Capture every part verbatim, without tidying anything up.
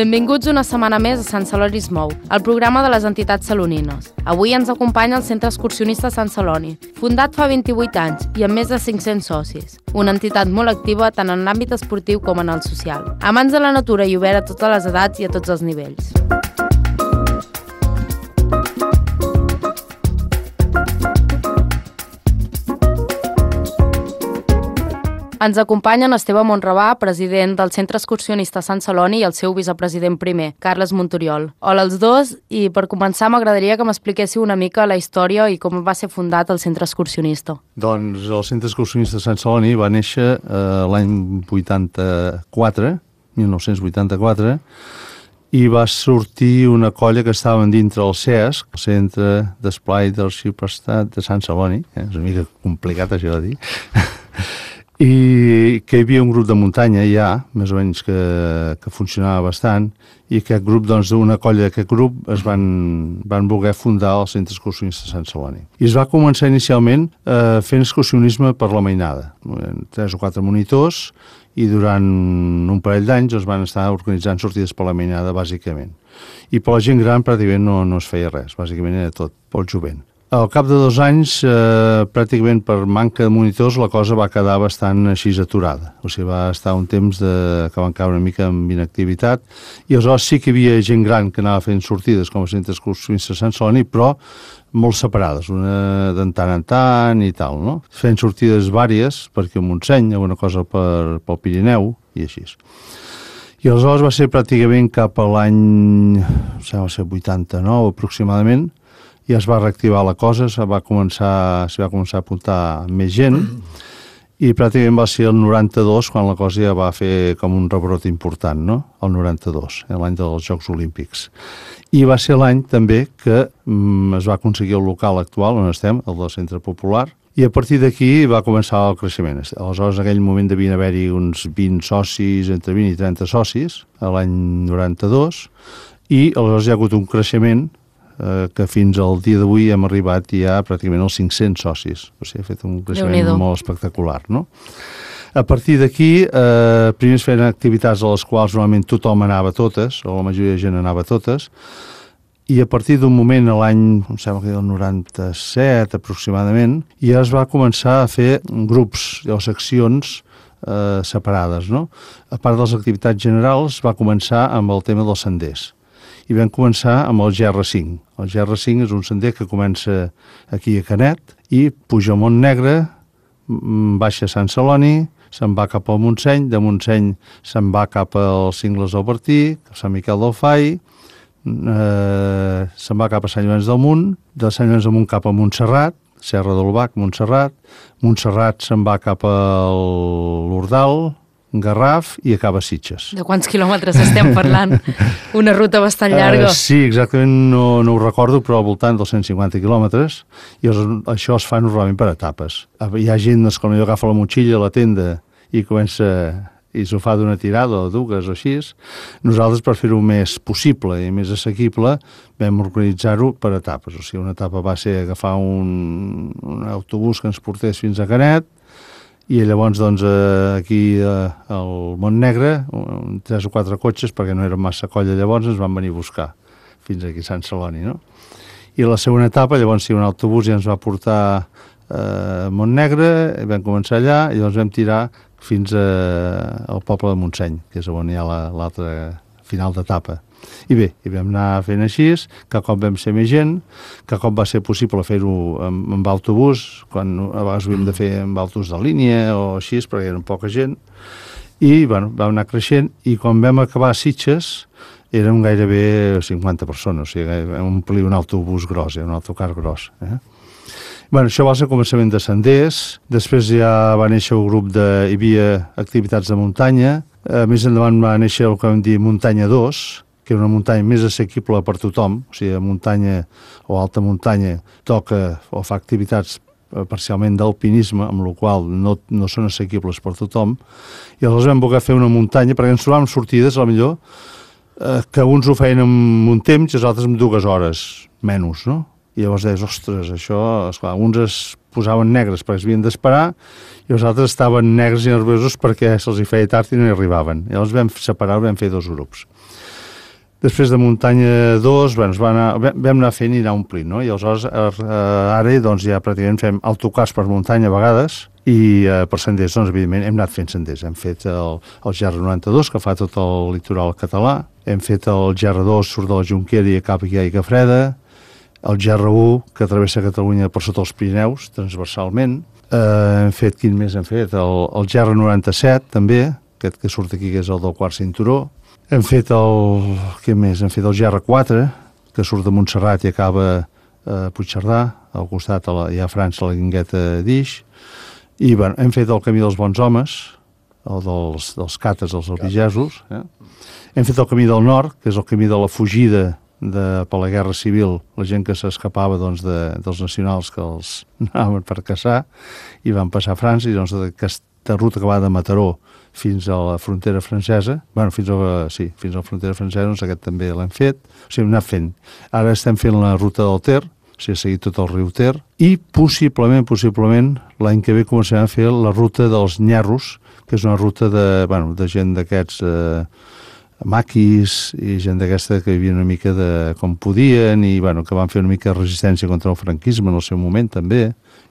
Benvinguts una setmana més a Sant Celoni es mou, el programa de les entitats salonines. Avui ens acompanya el Centre Excursionista Sant Celoni, fundat fa vint-i-vuit anys i amb més de cinc-cents socis. Una entitat molt activa tant en l'àmbit esportiu com en el social. Amants de la natura i obert a totes les edats i a tots els nivells. Ens acompanyen Esteve Monravà, president del Centre Excursionista Sant Celoni, i el seu vicepresident primer, Carles Montoriol. Hola als dos, i per començar m'agradaria que m'expliquéssiu una mica la història i com va ser fundat el Centre Excursionista. Doncs el Centre Excursionista Sant Celoni va néixer eh, l'any vuitanta-quatre, mil nou-cents vuitanta-quatre, i va sortir una colla que estaven dintre el C E S, el Centre d'Esplai del Ciutat de Sant Celoni, eh? És una mica complicat això de dir, i que hi havia un grup de muntanya ja, més o menys que, que funcionava bastant, i aquest grup, doncs, d'una colla d'aquest grup es van, van voler fundar el Centre Excursionista Sant Celoni. I es va començar inicialment eh, fent excursionisme per la mainada, tres o quatre monitors, i durant un parell d'anys es van estar organitzant sortides per la mainada, bàsicament. I per la gent gran pràcticament no, no es feia res, bàsicament era tot pel jovent. Al cap de dos anys, eh, pràcticament per manca de monitors, la cosa va quedar bastant així aturada. O sigui, va estar un temps de, que van caure una mica en inactivitat, i aleshores sí que hi havia gent gran que anava fent sortides com a Centre Excursionista Sant Celoni, però molt separades, una de tant en tant i tal, no? Fent sortides vàries, perquè a Montseny, alguna cosa per, pel Pirineu, i així. I aleshores va ser pràcticament cap a l'any, va ser vuitanta-nou aproximadament, i es va reactivar la cosa, se va començar, se va començar a apuntar més gent, i pràcticament va ser el noranta-dos quan la cosa ja va fer com un rebrot important, no? El noranta-dos, l'any dels Jocs Olímpics. I va ser l'any també que mm, es va aconseguir el local actual on estem, el del Centre Popular, i a partir d'aquí va començar el creixement. Aleshores, en aquell moment devien haver-hi uns vint socis, entre vint i trenta socis, l'any noranta-dos, i aleshores hi ha hagut un creixement que fins al dia d'avui hem arribat ja pràcticament als cinc-cents socis. O sigui, ha fet un creixement molt espectacular, no? A partir d'aquí, eh, primer es feien activitats a les quals normalment tothom anava a totes, o la majoria de gent anava a totes, i a partir d'un moment, a l'any, em sembla que el noranta-set aproximadament, ja es va començar a fer grups o seccions eh, separades, no? A part de les activitats generals, va començar amb el tema dels senders. I vam començar amb el G R cinc. El G R cinc és un sender que comença aquí a Canet i puja al Montnegre, baixa a Sant Celoni, se'n va cap al Montseny, de Montseny se'n va cap als Cingles del Bertí, a Sant Miquel del Fai, eh, se'n va cap a Sant Llorenç del Munt, de Sant Llorenç del Munt cap a Montserrat, Serra del Bac, Montserrat, Montserrat se'n va cap a l'Ordal, Garraf i acaba a Sitges. De quants quilòmetres estem parlant? Una ruta bastant llarga. Uh, sí, exactament, no, no ho recordo, però al voltant dels cent cinquanta quilòmetres, i això es fa normalment per etapes. Hi ha gent que potser agafa la motxilla a la tenda i comença i s'ho fa d'una tirada o dues o així. Nosaltres, per fer-ho més possible i més assequible, vam organitzar-ho per etapes. O sigui, una etapa va ser agafar un, un autobús que ens portés fins a Canet, i llavors, doncs, aquí al Montnegre, tres o quatre cotxes, perquè no era massa colla llavors, ens van venir a buscar fins aquí a Sant Celoni, no? I la segona etapa, llavors, sí, un autobús ja ens va portar a Montnegre, vam començar allà, i llavors vam tirar fins al poble de Montseny, que és on hi ha l'altra final d'etapa. I bé, i vam anar fent així, que cop vam ser més gent, que cop va ser possible fer-ho amb, amb autobús, quan a vegades ho hem de fer amb autobús de línia o així, perquè eren poca gent, i bueno, vam anar creixent, i quan vam acabar a Sitges, érem gairebé cinquanta persones, o sigui, vam omplir un autobús gros, un autocar gros. Eh? Bueno, això va ser el començament de senders, després ja va néixer el grup de... hi havia activitats de muntanya, eh, més endavant va néixer el que vam dir Muntanya dos, que era una muntanya més assequible per tothom, o sigui, muntanya o alta muntanya toca o fa activitats parcialment d'alpinisme, amb la qual no, no són assequibles per tothom, i aleshores vam voler fer una muntanya, perquè ens trobàvem sortides, a la millor, eh, que uns ho feien en un temps i els altres en dues hores, menys, no? I llavors deies, ostres, això, esclar, uns es posaven negres perquè es havien d'esperar i els altres estaven negres i nerviosos perquè se'ls hi feia tard i no hi arribaven. I llavors vam separar, vam fer dos grups. Després de muntanya dos, bueno, va anar, vam anar fent i anar omplint, no? I aleshores ara doncs, ja pràcticament fem autocars per muntanya a vegades i eh, per senders, doncs, evidentment, hem anat fent senders. Hem fet el, el G R noranta-dos, que fa tot el litoral català, hem fet el G R dos, surt de la Jonquera i acaba aquí a Aigua Freda, el G R u, que travessa Catalunya per sota els Pirineus, transversalment. Eh, hem fet, quin més hem fet? El, el G R noranta-set, també, aquest que surt aquí, que és el del quart cinturó. Hem fet el... què més? Hem fet el G R quatre, que surt de Montserrat i acaba a Puigcerdà, al costat a la, hi ha a França, la Guingueta d'Ix. I bueno, hem fet el Camí dels Bons Homes, el dels, dels cates, els albigesos. Eh? Hem fet el Camí del Nord, que és el camí de la fugida de, per la Guerra Civil, la gent que s'escapava doncs, de, dels nacionals que els anaven per caçar i van passar a França, i doncs aquesta ruta que va de Mataró fins a la frontera francesa, bueno, fins a, sí, fins a la frontera francesa, doncs aquest també l'hem fet, o sigui, hem anat fent. Ara estem fent la ruta del Ter, o sigui, ha seguit tot el riu Ter, i possiblement, possiblement, l'any que ve començarem a fer la ruta dels Nyarros, que és una ruta de, bueno, de gent d'aquests eh, maquis i gent d'aquesta que vivia una mica de com podien i bueno, que van fer una mica de resistència contra el franquisme en el seu moment també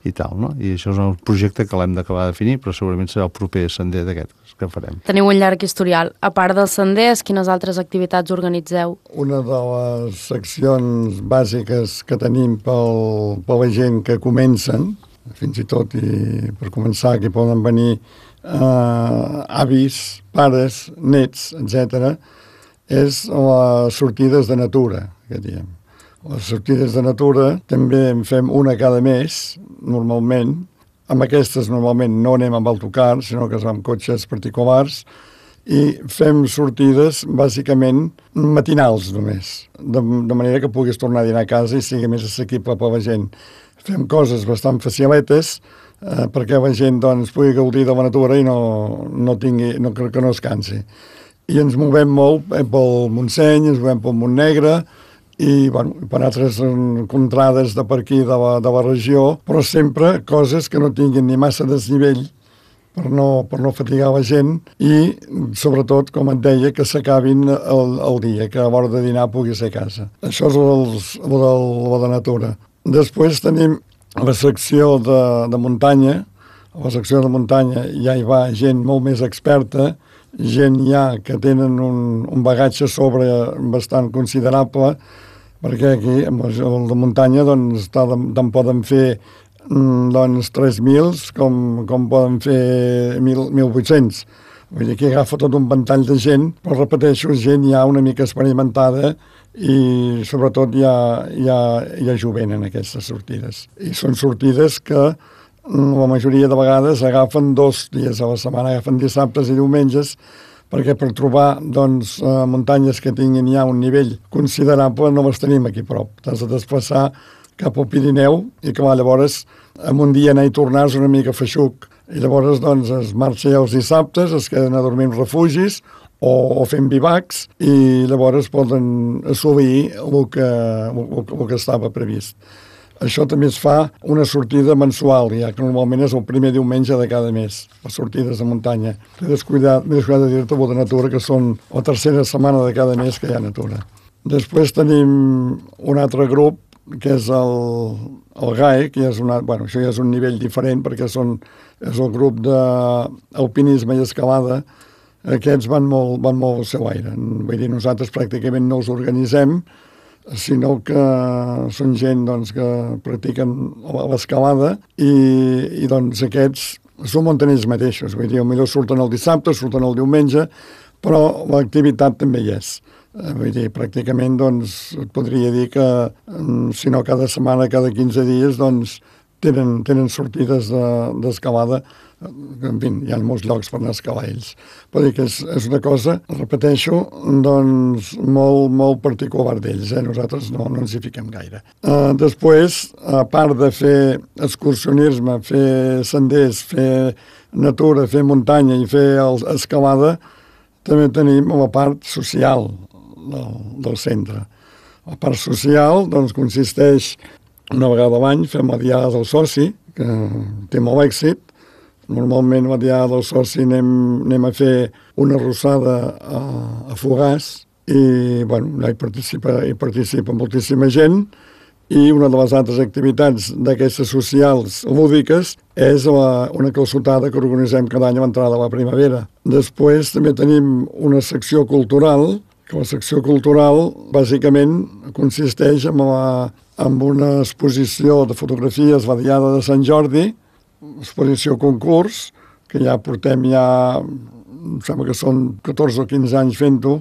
i tal, no? I això és un projecte que l'hem d'acabar de definir, però segurament serà el proper sender d'aquest que farem. Teniu un llarg historial. A part dels senders, quines altres activitats organitzeu? Una de les seccions bàsiques que tenim pel, per la gent que comencen, fins i tot i per començar que poden venir Uh, avis, pares, nets, etcètera, és les sortides de natura, que diem. Les sortides de natura també en fem una cada mes, normalment. Amb aquestes normalment no anem amb autocar, sinó que som amb cotxes particulars, i fem sortides bàsicament matinals només, de, de manera que puguis tornar a dinar a casa i sigui més assequible per la gent. Fem coses bastant faciletes, eh, perquè la gent doncs, pugui gaudir de la natura i no, no tingui, no, que no es cansi. I ens movem molt eh, pel Montseny, ens movem pel Montnegre i bueno, per altres contrades de per aquí de la, de la regió, però sempre coses que no tinguin ni massa desnivell per no, per no fatigar la gent i, sobretot, com et deia, que s'acabin el, el dia, que a l'hora de dinar pugui ser a casa. Això és el, el, el, el de natura. Després tenim la secció de, de muntanya. A la secció de muntanya ja hi va gent molt més experta, gent ja que tenen un, un bagatge sobre bastant considerable, perquè aquí, el de muntanya, doncs, tant poden fer doncs, tres mil com, com poden fer mil vuit-cents. Vull dir, aquí agafa tot un ventall de gent, però repeteixo, gent ja una mica experimentada i sobretot hi ha, hi ha, hi ha jovent en aquestes sortides. I són sortides que la majoria de vegades agafen dos dies a la setmana, agafen dissabtes i diumenges, perquè per trobar doncs, muntanyes que tinguin ja un nivell considerable no les tenim aquí a prop. T'has de desplaçar cap al Pirineu i que va, llavors en un dia anar i tornar és una mica feixuc. I llavors doncs, es marxa ja els dissabtes, es queden a dormir en refugis o, o fent bivacs i llavors poden assolir el que, el, el que estava previst. Això també es fa una sortida mensual, ja que normalment és el primer diumenge de cada mes, les sortides de muntanya. M'he descuidat, m'he descuidat de dir-te de natura, que són la tercera setmana de cada mes que hi ha natura. Després tenim un altre grup, que és el, el G A E, que és una, bueno, això ja és un nivell diferent, perquè són, és el grup d'alpinisme i escalada. Aquests van molt, van molt al seu aire. Vull dir, nosaltres pràcticament no els organitzem, sinó que són gent doncs, que practiquen l'escalada i, i doncs, aquests s'ho munten ells mateixos. Vull dir, potser surten el dissabte, surten el diumenge, però l'activitat també hi és. Vull dir, pràcticament doncs, et podria dir que, si no cada setmana, cada quinze dies, doncs, tenen, tenen sortides d'escalada. En fi, hi ha molts llocs per anar a escalar ells. Vull dir que és, és una cosa, repeteixo, doncs molt, molt particular d'ells. Eh? Nosaltres no, no ens hi fiquem gaire. Uh, després, a part de fer excursionisme, fer senders, fer natura, fer muntanya i fer el, escalada, també tenim la part social del, del centre. La part social doncs, consisteix, una vegada a l'any, fem la diada del soci, que té molt èxit. Normalment a la diada del soci anem, anem a fer una arrossada a, a Fogars i bueno, hi participa, hi participa moltíssima gent, i una de les altres activitats d'aquestes socials lúdiques és la, una calçotada que organitzem cada any a l'entrada de la primavera. Després també tenim una secció cultural, que la secció cultural bàsicament consisteix en, la, en una exposició de fotografies la Diada de Sant Jordi, exposició concurs, que ja portem ja, em sembla que són catorze o quinze anys fent-ho,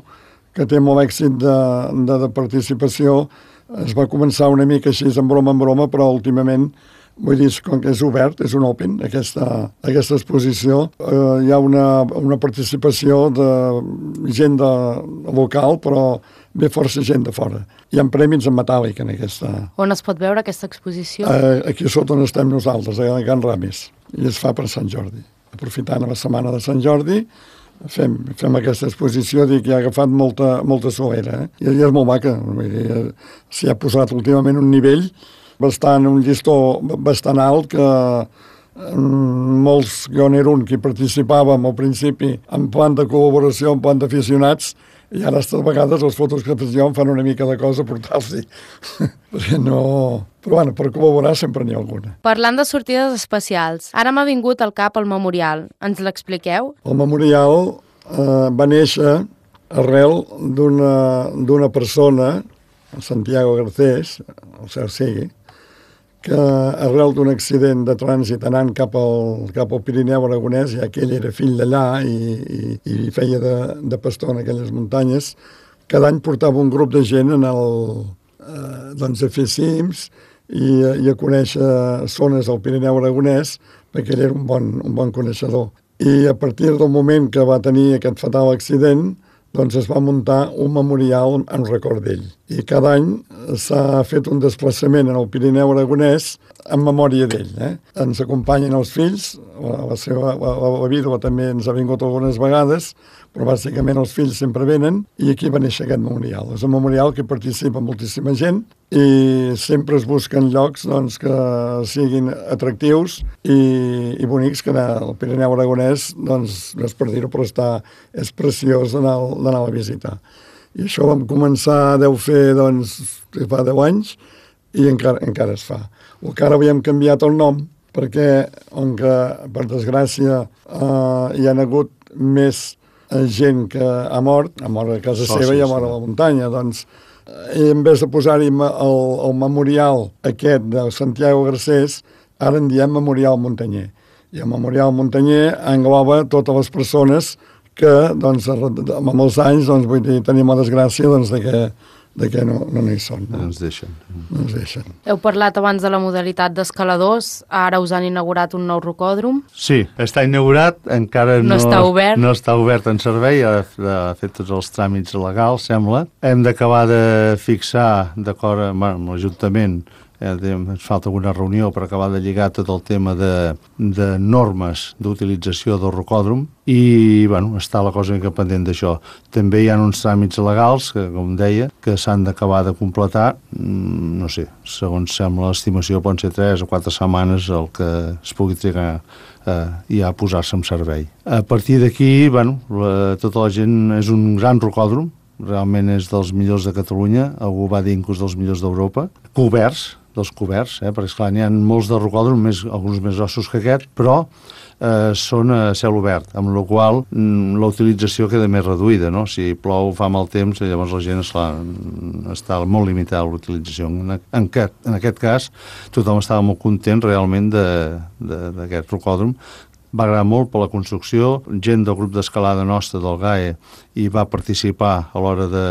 que té molt èxit de, de, de participació. Es va començar una mica així en broma en broma, però últimament, vull dir, com que és obert, és un open, aquesta, aquesta exposició, eh, hi ha una, una participació de gent de, local, però ve força gent de fora. Hi ha premis en metàl·lic en aquesta... On es pot veure aquesta exposició? Eh, aquí sota on estem nosaltres, a Can Ramis, i es fa per Sant Jordi. Aprofitant la setmana de Sant Jordi, Fem, fem aquesta exposició, dic, que ha agafat molta, molta solera, eh? I, i és molt maca. S'hi ha posat últimament un nivell bastant, un llistó bastant alt, que molts, jo n'era un que hi participàvem al principi en plan de col·laboració, en plan d'aficionats, i ara a vegades les fotos que faig jo em fan una mica de cosa portar-los-hi. Perquè no... Però bueno, per col·laborar sempre n'hi ha alguna. Parlant de sortides especials, ara m'ha vingut al cap el memorial. Ens l'expliqueu? El memorial eh, va néixer arrel d'una persona, Santiago Garcés, el cert sigui, que arrel d'un accident de trànsit anant cap al, cap al Pirineu aragonès, ja que ell era fill d'allà i, i, i feia de, de pastor en aquelles muntanyes, cada any portava un grup de gent en el, eh, doncs a fer cims i, i a conèixer zones del Pirineu aragonès, perquè ell era un bon, un bon coneixedor. I a partir del moment que va tenir aquest fatal accident, doncs es va muntar un memorial en record d'ell. I cada any s'ha fet un desplaçament en el Pirineu aragonès en memòria d'ell. Eh? Ens acompanyen els fills, la, la, seva, la, la vídua també ens ha vingut algunes vegades, però bàsicament els fills sempre venen, i aquí va néixer aquest memorial. És un memorial que participa moltíssima gent i sempre es busquen llocs doncs, que siguin atractius i, i bonics, que el Pirineu aragonès, doncs, no és per dir-ho, però està, és preciós d'anar a visitar. I això vam començar, deu fer, doncs, fa deu anys, i encara, encara es fa. El que ara havíem canviat el nom, perquè, on que, per desgràcia, eh, hi ha hagut més gent que ha mort, ha mort a casa seva i ha mort a la muntanya, doncs, i en vez de posar-hi el, el memorial aquest de Santiago Garcés, ara en diem Memorial Muntanyer. I el Memorial Muntanyer engloba totes les persones que, doncs, amb els anys, doncs, vull dir, tenim la desgràcia, doncs, de que, de que no, no hi són. No? No ens deixen. No ens deixen. Heu parlat abans de la modalitat d'escaladors, ara us han inaugurat un nou rocòdrom. Sí, està inaugurat, encara no, no està obert. No està obert en servei, ha, ha fet tots els tràmits legals, sembla. Hem d'acabar de fixar, d'acord amb, amb l'Ajuntament, Eh, ens falta alguna reunió per acabar de lligar tot el tema de, de normes d'utilització del rocòdrom i, bueno, està la cosa mica pendent d'això. També hi ha uns tràmits legals, que, com deia, que s'han d'acabar de completar, mm, no sé, segons sembla l'estimació poden ser tres o quatre setmanes el que es pugui trigar eh, ja a posar-se en servei. A partir d'aquí, bueno, la, tota la gent és un gran rocòdrom, realment és dels millors de Catalunya, algú va dir inclús dels millors d'Europa, coberts, dels coberts, eh? perquè esclar, n'hi ha molts de rocòdrom, més, alguns més ossos que aquest, però eh, són a cel obert, amb la qual mm, la utilització queda més reduïda, no? Si plou, fa mal temps, llavors la gent esclar, està molt limitada a l'utilització. En, en, en aquest cas, tothom estava molt content realment d'aquest rocòdrom. Va agradar molt per la construcció, gent del grup d'escalada nostra del G A E hi va participar a l'hora de,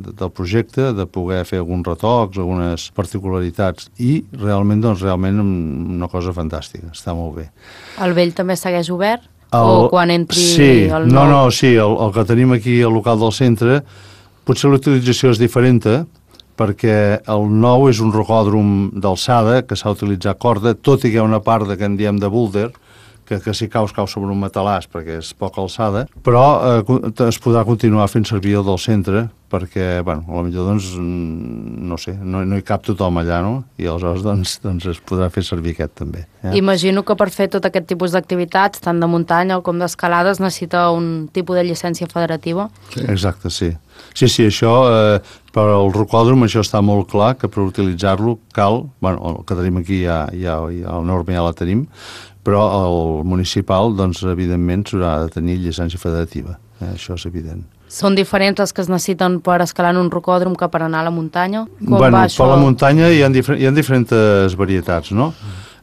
de, del projecte, de poder fer alguns retocs, algunes particularitats, i realment, doncs, realment una cosa fantàstica, està molt bé. El vell també segueix obert? El, o quan entri sí, el nou? No, no, sí, el, el que tenim aquí al local del centre, potser la utilització és diferent, perquè el nou és un rocòdrom d'alçada que s'ha utilitzat corda, tot i que hi ha una part de que en diem de boulder, que, que si caus, cau sobre un matalàs perquè és poca alçada, però eh, es podrà continuar fent servir el del centre perquè, bueno, potser doncs, no sé, no, no hi cap tothom allà, no? I aleshores doncs, doncs es podrà fer servir aquest també. Eh? Imagino que per fer tot aquest tipus d'activitats, tant de muntanya com d'escalada, es necessita un tipus de llicència federativa. Sí. Exacte, sí. Sí, sí, això, eh, per al rocòdrom, això està molt clar, que per utilitzar-lo cal, bueno, el que tenim aquí ja, ja, ja el norma ja la tenim, però el municipal, doncs, evidentment, s'haurà de tenir llicència federativa. Eh, això és evident. Són diferents les que es necessiten per escalar en un rocòdrom que per anar a la muntanya? Com bueno, va això? Per la muntanya hi ha, difer hi ha diferents varietats, no?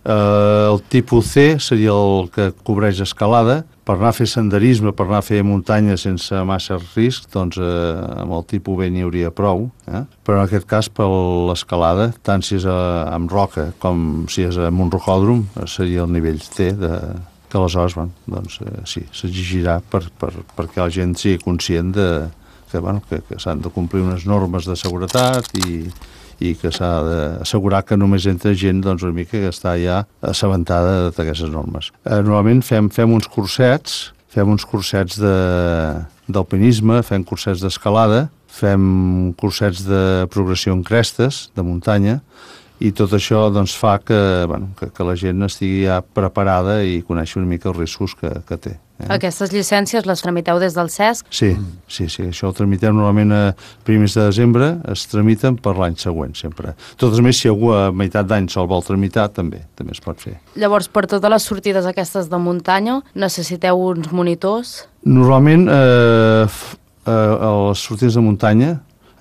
Eh, el tipus C seria el que cobreix escalada. Per anar a fer senderisme, per anar a fer muntanya sense massa risc, doncs eh, amb el tipus B n'hi hauria prou. Eh? Però en aquest cas, per l'escalada, tant si és a, amb roca com si és amb un rocòdrom, seria el nivell C de... que aleshores, bueno, doncs, eh, sí, s'exigirà per, per, perquè la gent sigui conscient de, que, bueno, que, que s'han de complir unes normes de seguretat i, i que s'ha d'assegurar que només entra gent doncs, una mica que està ja assabentada d'aquestes normes. Eh, normalment fem, fem uns cursets, fem uns cursets d'alpinisme, fem cursets d'escalada, fem cursets de progressió en crestes, de muntanya, i tot això doncs, fa que, bueno, que, que la gent estigui ja preparada i coneixi una mica els riscos que, que té. Eh? Aquestes llicències les tramiteu des del C E S C? Sí, sí, sí, això ho tramitem normalment a primers de desembre, es tramiten per l'any següent, sempre. Tot més, si algú a meitat d'any se'l vol tramitar, també, també es pot fer. Llavors, per totes les sortides aquestes de muntanya, necessiteu uns monitors? Normalment, eh, eh, a les sortides de muntanya,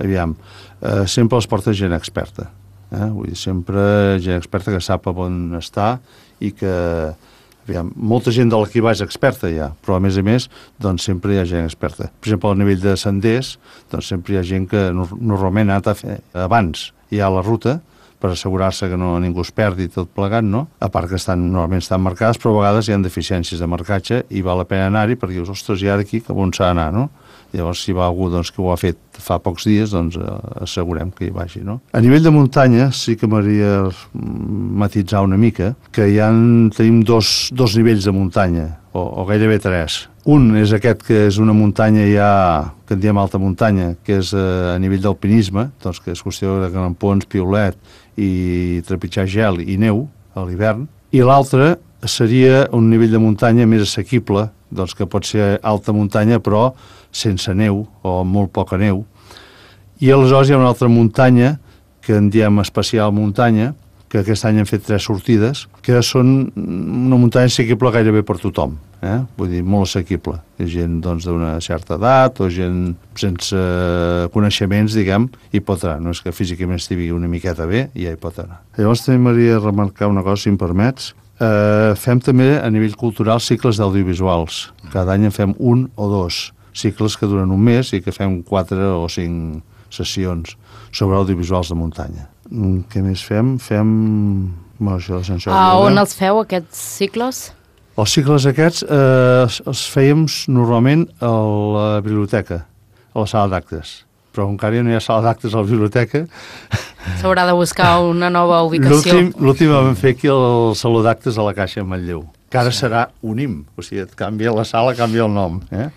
aviam, eh, sempre les porta gent experta. Eh? Vull dir, sempre gent experta que sap on està i que, aviam, molta gent de l'equipatge és experta ja, però a més a més, doncs sempre hi ha gent experta. Per exemple, al nivell de senders, doncs sempre hi ha gent que normalment ha de fer abans ja la ruta per assegurar-se que no, ningú es perdi tot plegat, no? A part que estan, normalment estan marcades, però a vegades hi ha deficiències de marcatge i val la pena anar-hi perquè dius, ostres, i ara aquí cap on s'ha d'anar, no? Llavors, si va algú doncs, que ho ha fet fa pocs dies, doncs eh, assegurem que hi vagi, no? A nivell de muntanya, sí que m'hauria matitzar una mica, que hi ha, tenim dos, dos nivells de muntanya, o, o gairebé tres. Un és aquest que és una muntanya ja, que en diem alta muntanya, que és eh, a nivell d'alpinisme, doncs que és qüestió de grampons, piolet i trepitjar gel i neu a l'hivern. I l'altre seria un nivell de muntanya més assequible, doncs que pot ser alta muntanya però sense neu o molt poca neu. I aleshores hi ha una altra muntanya que en diem especial muntanya, que aquest any hem fet tres sortides, que són una muntanya assequible gairebé per tothom, eh? Vull dir, molt assequible. Hi ha gent doncs, d'una certa edat o gent sense coneixements, diguem, i pot anar. No és que físicament estigui una miqueta bé, i ja hi pot anar. Llavors també m'hauria de remarcar una cosa, si em permets. Eh, fem també a nivell cultural cicles d'audiovisuals. Cada any en fem un o dos cicles que duren un mes i que fem quatre o cinc sessions sobre audiovisuals de muntanya. Què més fem? Fem... Bueno, això de Sant Jordi. A on els feu, aquests cicles? Els cicles aquests eh, els fèiem normalment a la biblioteca, a la sala d'actes. Però encara no hi ha sala d'actes a la biblioteca. S'haurà de buscar una nova ubicació. L'últim vam fer aquí el Saló d'Actes a la Caixa en Manlleu, que ara serà UNIM, o sigui, et canvia la sala, canvia el nom. Eh?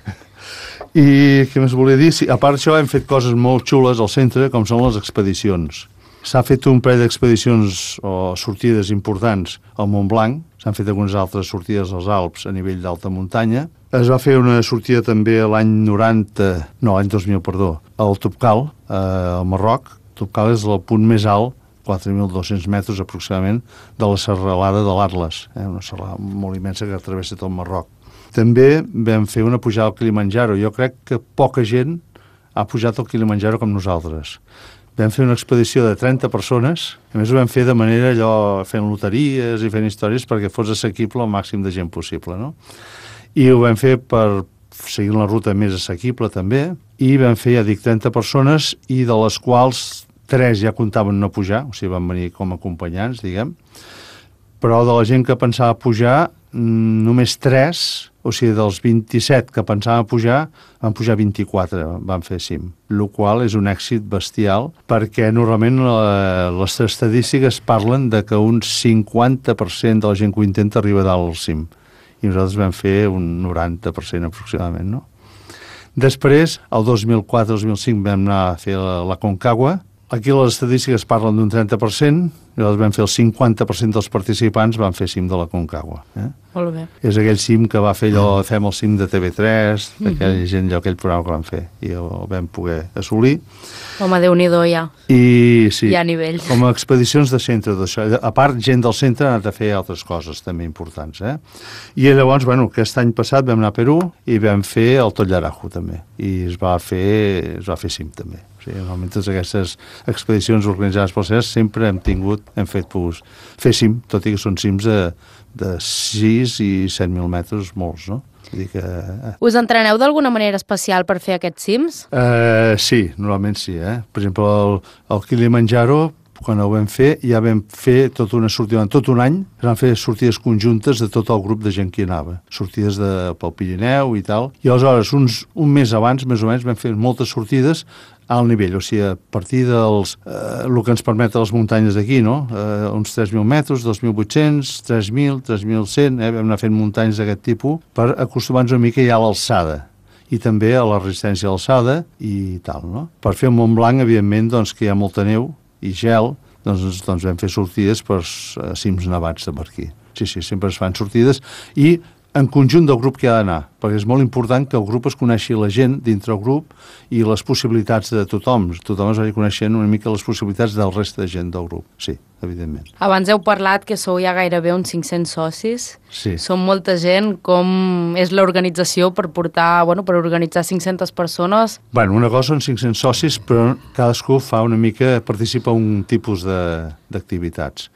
I què més volia dir? Sí, a part d'això hem fet coses molt xules al centre, com són les expedicions. S'ha fet un parell d'expedicions o sortides importants al Montblanc, s'han fet algunes altres sortides als Alps a nivell d'alta muntanya. Es va fer una sortida també l'any noranta, no, l'any dos mil, perdó, al Topkal, eh, al Marroc. Topkal és el punt més alt, quatre mil dos-cents metres aproximadament, de la serralada de l'Atles, eh, una serralada molt immensa que travessa tot el Marroc. També vam fer una pujada al Kilimanjaro. Jo crec que poca gent ha pujat al Kilimanjaro com nosaltres. Vam fer una expedició de trenta persones, a més ho vam fer de manera allò, fent loteries i fent històries perquè fos assequible al màxim de gent possible, no? I ho vam fer per seguir la ruta més assequible també, i vam fer, ja dic, trenta persones, i de les quals tres ja comptaven no pujar, o sigui, van venir com a acompanyants, diguem, però de la gent que pensava pujar, només tres, o sigui, dels vint-i-set que pensaven pujar, van pujar vint-i-quatre, van fer cim, el qual és un èxit bestial, perquè normalment la, les estadístiques parlen de que un cinquanta per cent de la gent que ho intenta arriba dalt al cim, i nosaltres vam fer un noranta per cent aproximadament, no? Després, el dos mil quatre dos mil cinc vam anar a fer la, la Concagua. Aquí les estadístiques parlen d'un trenta per cent, i nosaltres vam fer el cinquanta per cent dels participants van fer cim de la Concagua. Eh? Molt bé. És aquell cim que va fer allò, fem el cim de T V tres, d'aquella mm-hmm. gent, allò, aquell programa que van fer, i el vam poder assolir. Home, Déu-n'hi-do, ja. I sí, hi ha nivell. Com a expedicions de centre, d'això. A part, gent del centre ha anat a fer altres coses també importants. Eh? I llavors, bueno, aquest any passat vam anar a Perú i vam fer el Tollarajo també, i es va fer, es va fer cim també. O sigui, normalment totes aquestes expedicions organitzades pel C E S sempre hem tingut, hem fet pues, fer cim, tot i que són cims de, de sis i set mil metres, molts, no? Vull dir que... Eh. Us entreneu d'alguna manera especial per fer aquests cims? Uh, sí, normalment sí, eh? Per exemple, el, el Kilimanjaro, quan ho vam fer, ja vam fer tota una sortida, tot un any, vam fer sortides conjuntes de tot el grup de gent que hi anava, sortides de, pel Pirineu i tal, i aleshores, uns, un mes abans, més o menys, vam fer moltes sortides al nivell, o sigui, a partir dels, eh, el que ens permeten les muntanyes d'aquí, no? Eh, uns tres mil metres, dos mil vuit-cents, tres mil, tres mil cent, eh? Vam anar fent muntanyes d'aquest tipus per acostumar-nos una mica ja a l'alçada i també a la resistència a l'alçada i tal, no? Per fer el Mont Blanc, evidentment, doncs, que hi ha molta neu i gel, doncs, doncs vam fer sortides per uh, cims nevats de per aquí. Sí, sí, sempre es fan sortides i en conjunt del grup que ha d'anar, perquè és molt important que el grup es coneixi la gent dintre el grup i les possibilitats de tothom. Tothom es vagi coneixent una mica les possibilitats del reste de gent del grup, sí, evidentment. Abans heu parlat que sou ja gairebé uns cinc-cents socis. Sí. Som molta gent. Com és l'organització per portar, bueno, per organitzar cinc-centes persones? Bueno, una cosa són cinc-cents socis, però cadascú fa una mica, participa en un tipus d'activitats.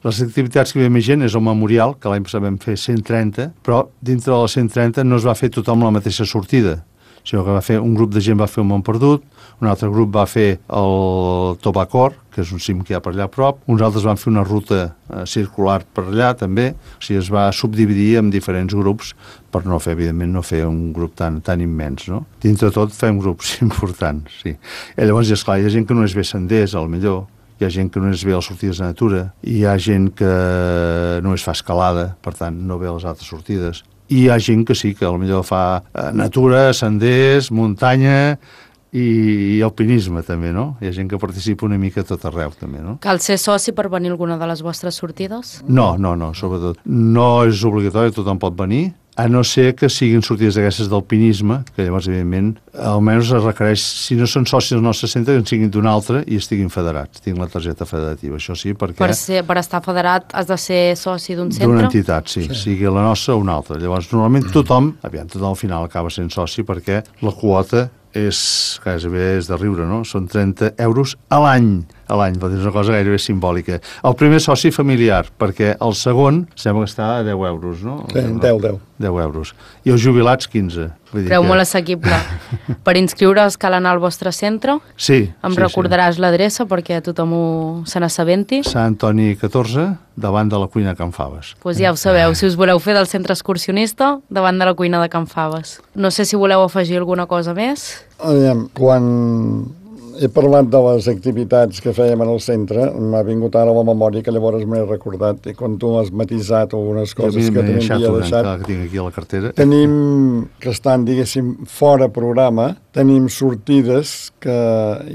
Les activitats que hi havia més gent és el memorial, que l'any passat vam fer cent trenta, però dintre de les cent trenta no es va fer tothom la mateixa sortida, sinó que va fer, un grup de gent va fer el Mont Perdut, un altre grup va fer el Tobacor, que és un cim que hi ha per allà a prop, uns altres van fer una ruta eh, circular per allà també, o sigui, es va subdividir en diferents grups per no fer, evidentment, no fer un grup tan, tan immens, no? Dintre de tot fem grups importants, sí. I llavors, esclar, hi ha gent que no és bé senders, al millor, hi ha gent que no és bé a les sortides de natura, hi ha gent que no es fa escalada, per tant, no ve a les altres sortides, i hi ha gent que sí, que potser fa natura, senders, muntanya i, i alpinisme també, no? Hi ha gent que participa una mica a tot arreu també, no? Cal ser soci per venir a alguna de les vostres sortides? No, no, no, sobretot. No és obligatori, tothom pot venir, a no ser que siguin sortides d'aquestes d'alpinisme, que llavors, evidentment, almenys es requereix, si no són socis del nostre centre, que en siguin d'un altre i estiguin federats, tinguin la targeta federativa, això sí, perquè... Per, ser, per estar federat has de ser soci d'un centre? D'una entitat, sí, sí, sigui la nostra o una altra. Llavors, normalment tothom, aviam, tothom al final acaba sent soci perquè la quota és, gairebé és de riure, no? Són trenta euros a l'any, a l'any, és una cosa gairebé simbòlica. El primer soci familiar, perquè el segon sembla que està a deu euros, no? Sí, deu, deu. deu euros. I els jubilats, quinze. Vull dir Preu que... molt assequible. Per inscriure's cal anar al vostre centre? Sí. Em sí, recordaràs sí. l'adreça perquè tothom ho se n'assabenti? Sant Antoni catorze, davant de la cuina Can Faves. Doncs pues ja ho sabeu, si us voleu fer del centre excursionista, davant de la cuina de Can Faves. No sé si voleu afegir alguna cosa més. Aviam, quan he parlat de les activitats que fèiem en el centre, m'ha vingut ara a la memòria que llavors m'he recordat, i quan tu has matisat algunes coses que també havia deixat, que tinc aquí a la cartera. Tenim, que estan, diguéssim, fora programa, tenim sortides que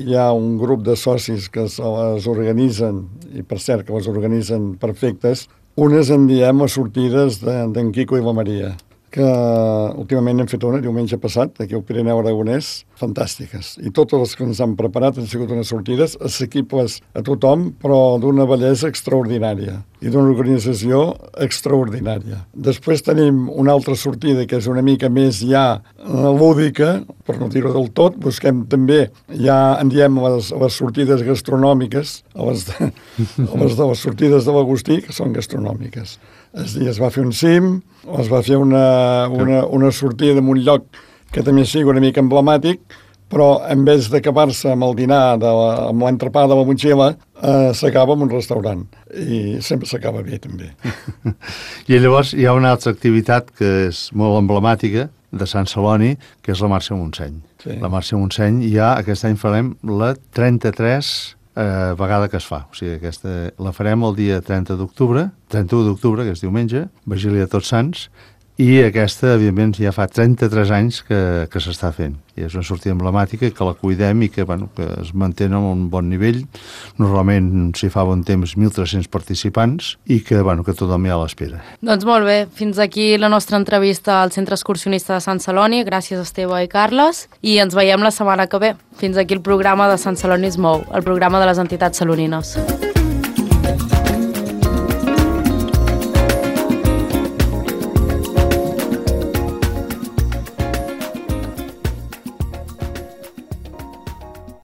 hi ha un grup de socis que se les organitzen, i per cert que les organitzen perfectes, unes en diem a sortides d'en Quico i la Maria, que últimament hem fet una diumenge passat, aquí al Pirineu Aragonès, fantàstiques. I totes les que ens han preparat han sigut unes sortides assequibles a tothom, però d'una bellesa extraordinària i d'una organització extraordinària. Després tenim una altra sortida que és una mica més ja lúdica, per no dir-ho del tot, busquem també, ja en diem les, les sortides gastronòmiques, a les, de, a les de les sortides de l'Agustí, que són gastronòmiques. Es, es va fer un cim, es va fer una, una, una sortida en un lloc que també sigui una mica emblemàtic, però en vez d'acabar-se amb el dinar, de la, amb l'entrepà de la motxilla, eh, s'acaba en un restaurant. I sempre s'acaba bé, també. I llavors hi ha una altra activitat que és molt emblemàtica de Sant Celoni, que és la Marxa Montseny. Sí. La Marxa Montseny ja aquest any farem la trenta-tres eh, vegada que es fa. O sigui, aquesta la farem el dia trenta d'octubre, trenta-u d'octubre, que és diumenge, Vigília de Tots Sants, i aquesta, evidentment, ja fa trenta-tres anys que, que s'està fent. I és una sortida emblemàtica, que la cuidem i que, bueno, que es manté a un bon nivell. Normalment s'hi fa bon temps mil tres-cents participants i que, bueno, que tothom hi ha a l'espera. Doncs molt bé, fins aquí la nostra entrevista al Centre Excursionista de Sant Celoni. Gràcies, Esteve i Carles, i ens veiem la setmana que ve. Fins aquí el programa de Sant Celoni es mou, el programa de les entitats salonines.